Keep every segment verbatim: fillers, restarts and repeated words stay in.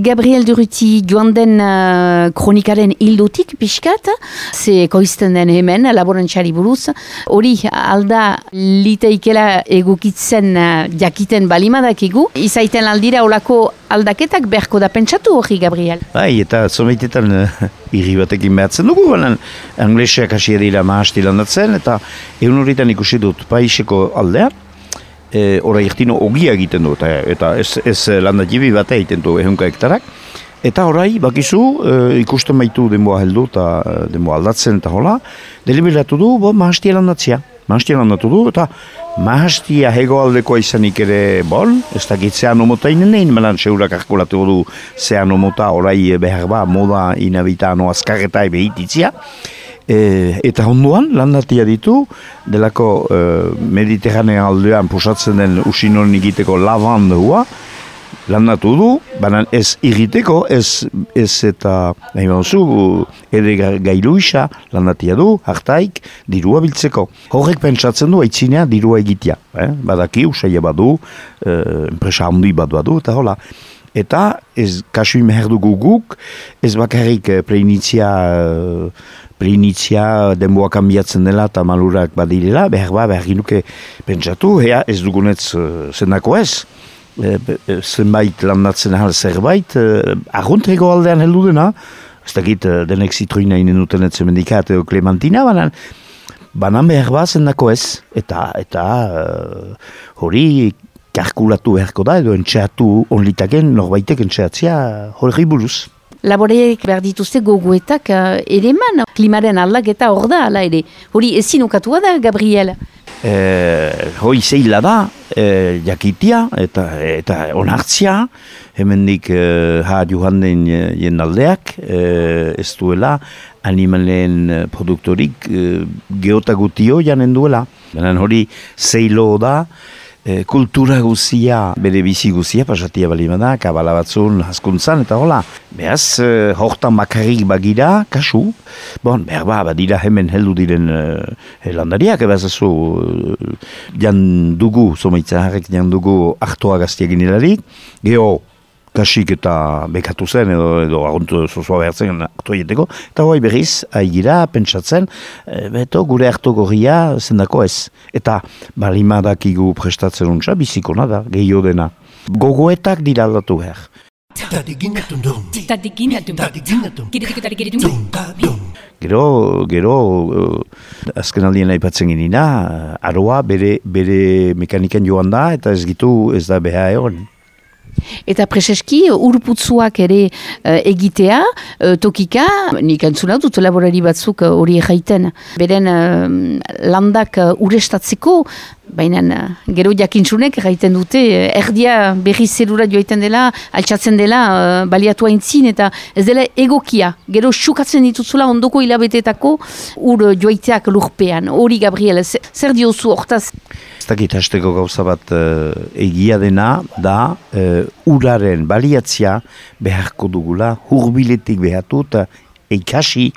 Gabriel Durruti joan den uh, kronikaren hildotik pixkat, ze koizten den hemen laborantxari buruz, hori alda liteikela egukitzen uh, jakiten balimadakigu, izaiten aldira olako aldaketak beharko da pentsatu hori, Gabriel? Bai, eta zomeitetan uh, irri batekin behatzen dugu, baina angleseak hasi dira mahasti landatzen, eta egun horretan ikusi dut paiseko aldea, E, ora irtino ogia egiten du, eta, eta ez, ez landatibi bat egiten du ehunka hektarak. Eta orai, bakizu, e, ikusten baitu denboa heldu eta denboa aldatzen eta hola, deliberatu du, bo, mahastia landatzea. Mahastia landatu du, eta mahastia hegoaldekoa izanik ere, bon, ez dakit zean omota inenein, malan seurak arkulatu du zean omota orai behar ba, moda inabitano azkarreta ebe hititzia. E, eta onduan landatia ditu delako e, Mediterranea aldean pusatzen den usinon egiteko lavandua landatu du, baina ez egiteko, ez, ez eta nahi bauzu, ere gailu isa landatia du, hartaik, dirua biltzeko. Horrek pentsatzen du, aitzinea dirua egitea. Eh? Badaki, usaila badu, e, enpresa handi bat badu, eta hola. Eta ez kasu imeher dugu guk, ez bakarrik preinitzia, preinitzia denboa kanbiatzen dela eta malurak badirela, behar ba, behar ginuke pentsatu, ea ez dugunetz zendako ez. E, e, zenbait landatzen ahal zerbait, e, arruntego aldean heldu dena, ez dakit denek zitroina inen duten etzen mendikat edo klementina, banan, banan behar ba zendako ez, eta, eta uh, hori kalkulatu beharko da, edo entxeatu onlitaken, norbaitek entxeatzea hori buruz. Laboreek behar dituzte gogoetak uh, ere man, klimaren aldaketa hor da, ala ere. Hori ezin ukatua da, Gabriel? Eh, hoi zeila da, eh, jakitia eta, eta onartzia, hemendik eh, ha joan den jendaldeak, eh, ez duela animalen produktorik eh, geotagutio janen duela. Benen hori zeilo da, E, kultura guzia, bere bizi guzia, pasatia balimada, kabala batzun, haskuntzan, eta hola. Beaz, e, hortan bakarrik bagira, kasu. Bon, behar ba, badira hemen heldu diren e, landariak, ebaz ezu, e, jan dugu, zomaitzen harrek jan dugu hartoa gaztiagin hilarik, geho, kasik eta bekatu zen, edo, edo aguntu zozua behartzen hartu egiteko, eta hoi berriz, aigira, pentsatzen, e, beto, gure hartu gorria zendako ez. Eta balimadakigu prestatzen untsa, bizikona da, gehiago dena. Gogoetak dira aldatu behar. Gero, gero, azken aldien aipatzen ginina, aroa bere, bere mekanikan joan da, eta ez gitu ez da beha egon. Eta preseski urputzuak ere uh, egitea, uh, tokika, nik entzuna dut laborari batzuk hori uh, erraiten, beren uh, landak uh, urestatzeko, baina uh, gero jakintzunek erraiten dute, uh, erdia berri zerura joaiten dela, altxatzen dela, uh, baliatu haintzin, eta ez dela egokia, gero xukatzen dituzula ondoko hilabetetako ur joaiteak lurpean. Hori, Gabriel, zer diozu hortaz? Ez dakit hasteko gauza bat uh, egia dena da uh, uraren baliatzia beharko dugula, hurbiletik behatu eta ikasi,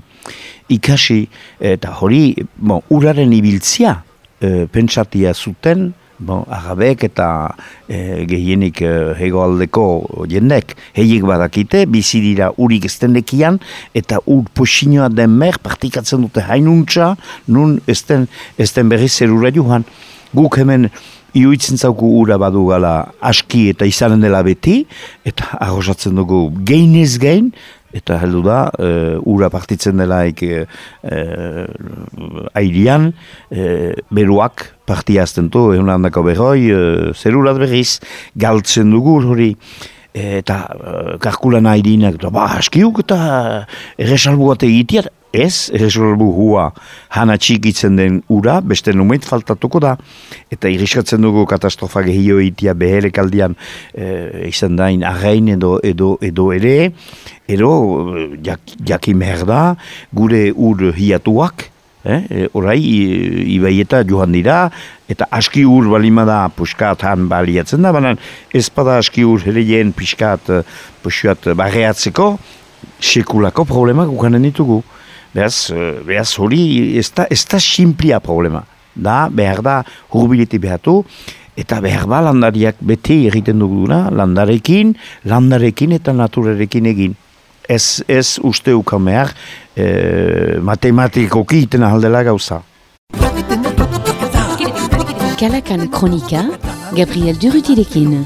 ikasi eta hori bon, uraren ibiltzia uh, pentsatia zuten, bon, arabek eta uh, gehienik uh, hegoaldeko jendek heiek badakite, bizi dira urik estendekian eta ur posinoa den mer partikatzen dute hainuntza, nun esten, esten berriz zerura joan. Guk hemen iuitzen zauku ura badu gala aski eta izanen dela beti, eta arrosatzen dugu geinez gein, eta heldu da, e, ura partitzen delaik e, e, airian, e, beruak partiazten du, egun handako berroi, e, zerurat berriz, galtzen dugu hori, eta e, karkulan airinak, ba, askiuk eta erresalbu bat egiteat, ez, erresalbu hua hana txikitzen den ura, beste numeit faltatuko da, eta iriskatzen dugu katastrofa gehio egitea beherek aldian e, izan dain arrain edo, edo, edo ere, edo jak, jakin behar da, gure ur hiatuak, eh, orai ibaieta joan dira, eta aski ur balimada puskat han baliatzen da, baina ez bada aski ur hereien piskat, pusuat barreatzeko, sekulako problemak ukanen ditugu. Beraz, beraz hori ez da, ez da simplia problema. Da, behar da hurbilete behatu, eta behar ba landariak bete egiten duguna, landarekin, landarekin eta naturarekin egin. Ez, ez uste ukan behar, e, matematikoki iten ahaldela gauza. Kalakan Kronika, Gabriel Durutirekin.